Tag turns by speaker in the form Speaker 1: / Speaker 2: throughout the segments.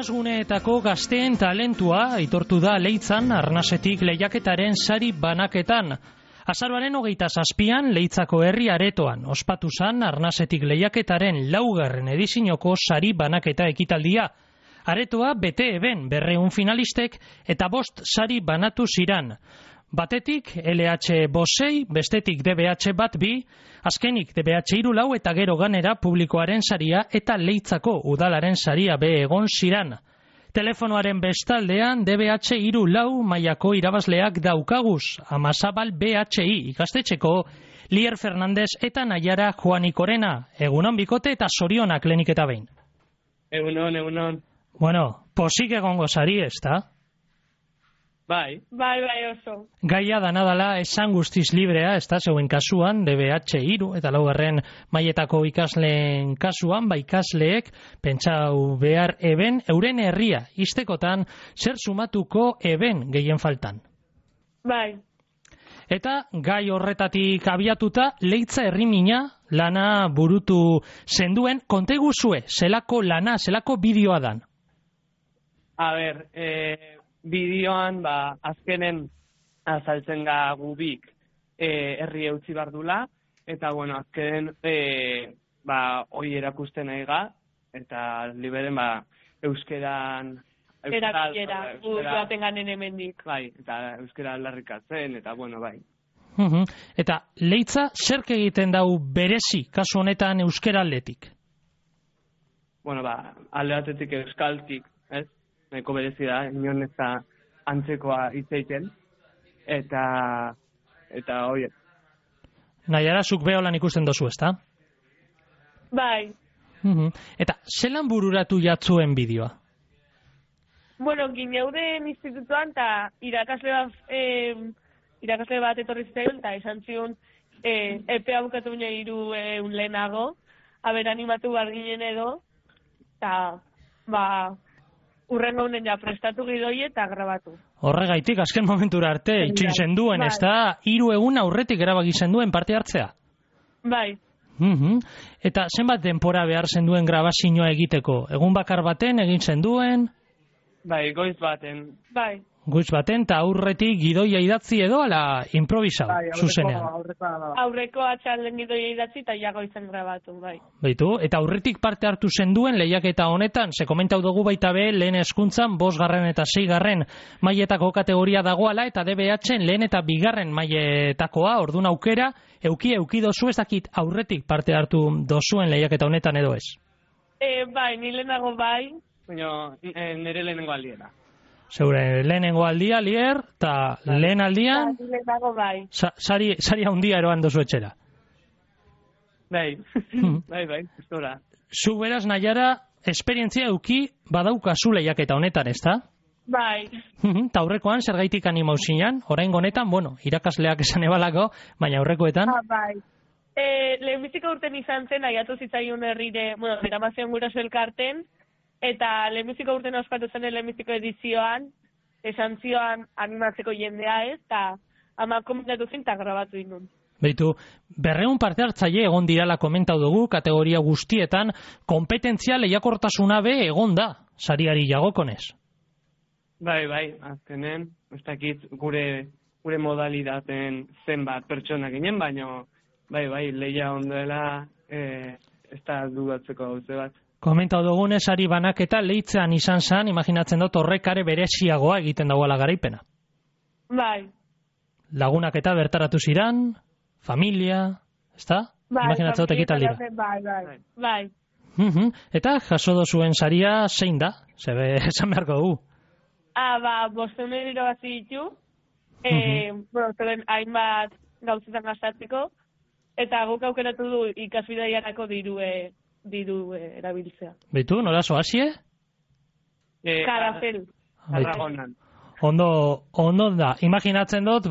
Speaker 1: Arnasguneetako gazteen talentua aitortu da Leitzan arnasetik lehiaketaren sari banaketan. Azaroaren 27an Leitzako herri aretoan ospatu zan arnasetik lehiaketaren 4. edizioko sari banaketa ekitaldia. Aretoa bete eben 200 finalistek eta 5 sari banatu ziran. Batetik LH bosei, bestetik DBH bat bi, azkenik DBH 3 eta gero ganera publikoaren saria eta Leitzako udalaren saria be egon ziran. Telefonoaren bestaldean DBH 3 mailako irabazleak daukaguz, Amazabal BHI ikastetxeko Lier Fernandez eta Naiara Juanikorena. Egunon bikote eta zorionak lehenik eta behin.
Speaker 2: Egunon.
Speaker 1: Bueno, posik egongo sari, ezta?
Speaker 2: Bai oso.
Speaker 1: Gaia danadala esan guztiz librea, ez da, zeuen kasuan, DBH 3 eta 4. mailetako ikasleen kasuan, ikasleek pentsau behar eben euren herria, iztekotan zer sumatuko eben gehien faltan.
Speaker 2: Bai.
Speaker 1: Eta gai horretatik abiatuta, Leitza herrimina lana burutu zenduen, konte guzue, zelako lana, zelako bideoa dan?
Speaker 2: A ber, bideoan, azkenen azaltzen ga gubik herri eutzi bardula, eta, bueno, azkenen hoi erakusten nahi ga, eta liberen, euskeran...
Speaker 3: Erabilera, baten ganen hemendik.
Speaker 2: Bai, eta euskera aldarrikatzen, eta, bueno, bai.
Speaker 1: Eta Leitza zerk egiten dau berezi, kasu honetan euskera aldetik?
Speaker 2: Bueno, alde batetik euskaltik, ez? Nahiko berezi da, inon ez da antzekoa hitzeiten, eta hoi.
Speaker 1: Naiara, zuk beholan ikusten dozu, ezta?
Speaker 3: Bai.
Speaker 1: Eta zelan bururatu jatzuen bideoa?
Speaker 3: Bueno, gineuden institutuan, eta irakasle bat etorri zitzaion, eta esan zion epea bukatu bine 3 lehenago, haber animatu bar ginen edo, eta urrengo unen ja prestatu gidoi eta grabatu.
Speaker 1: Horregaitik, azken momentura arte, itxin zenduen, ez da, 3 egun aurretik erabaki zenduen parte hartzea?
Speaker 3: Bai.
Speaker 1: Eta zenbat denpora behar zenduen grabazioa egiteko? Egun bakar baten egin zenduen?
Speaker 2: Bai, goiz baten.
Speaker 3: Bai.
Speaker 1: Goiz baten, eta aurretik gidoia idatzi edo, ala improvisau, zuzenean?
Speaker 3: Aurreko atxalden gidoia idatzi eta jago izan grabatu, bai.
Speaker 1: Baitu, eta aurretik parte hartu zenduen lehiaketa honetan, ze komentau dugu baita be, lehen hezkuntzan 5. eta 6. mailetako kategoria dagoala, eta DBH-en lehen eta 2. mailetakoa, ordun aukera, euki dozu, ez dakit aurretik parte hartu dozuen lehiaketa honetan edo ez?
Speaker 3: Bai, ni lehenago bai.
Speaker 2: Baina nire lehenengo aldiera.
Speaker 1: Zeure, lehenengo aldia, Lier, eta lehen aldian...
Speaker 3: Lehenago bai.
Speaker 1: Sari handia eroan dozu etxera.
Speaker 2: Bai, gustora.
Speaker 1: Zu beraz, Naiara, esperientzia euki badaukazu lehiaketa honetan, ezta?
Speaker 3: Bai.
Speaker 1: Eta aurrekoan, zergaitik animau zinan, oraingo honetan, bueno, irakasleak esan ebalako, baina aurrekoetan...
Speaker 3: Bai. Lehenbiziko urten izan zen, aiatu zitzaion herrire, bueno, eramazion guraso elkarten, eta lehenbiziko urten ospatu zen lehenbiziko edizioan, esan zioan animatzeko jendea ez, eta ama komentatu zen eta grabatu inun.
Speaker 1: Beitu, 200 parte hartzaile egon dirala komentau dugu, kategoria guztietan, kompetentzia lehiakortasuna be egon da, sariari jagokonez.
Speaker 2: Bai, azkenen, ez dakit gure modalidaten zenbat pertsona ginen, baina bai, lehia ondoela ez da dudatzeko gauze bat.
Speaker 1: Komentau dugunez, sari banaketa Leitzean izan zan, imaginatzen dut horrekare bereziagoa egiten dagoela garaipena.
Speaker 3: Bai.
Speaker 1: Lagunak eta bertaratu ziran, familia, ezta?
Speaker 3: Bai,
Speaker 1: imaginatzen dut ekitaldira.
Speaker 3: Bai.
Speaker 1: Eta jaso dozuen saria zein da? Zebe, esan beharko dugu.
Speaker 3: 500 euro bat ditu, zeren hainbat gauzetan gastatzeko, eta guk aukeratu du ikasbidaiarako diru erabiltzea.
Speaker 1: Beitu, nola zoazie?
Speaker 3: Karafel.
Speaker 2: Arragonan.
Speaker 1: Ondo da. Imaginatzen dut,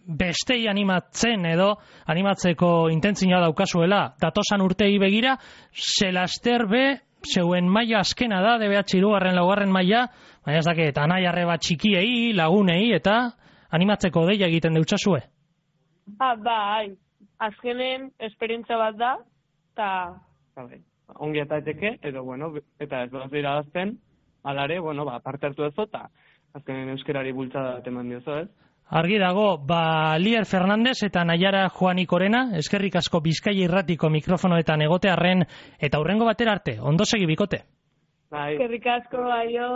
Speaker 1: bestei animatzen edo animatzeko intentzioa daukazuela. Datosan urtei begira, zelaster be, zeuen maila azkena da, DBH 3. 4. maila, baina ez dakit, anai arreba txikiei, lagunei, eta animatzeko deia egiten deutsazue.
Speaker 3: Bai. Azkenen esperientzia bat da, eta...
Speaker 2: Ongi eta eteke, edo bueno, eta ez bat irabazten, alare, bueno, parte hartu ezo, eta azkenen euskerari bultzada bat eman diozo, ez?
Speaker 1: Argi dago, Lier Fernandez eta Naiara Juanik Orena, eskerrik asko Bizkaia Irratiko mikrofonoetan egotearren, eta hurrengo batera arte, ondo segi bikote.
Speaker 3: Eskerrik asko, aio.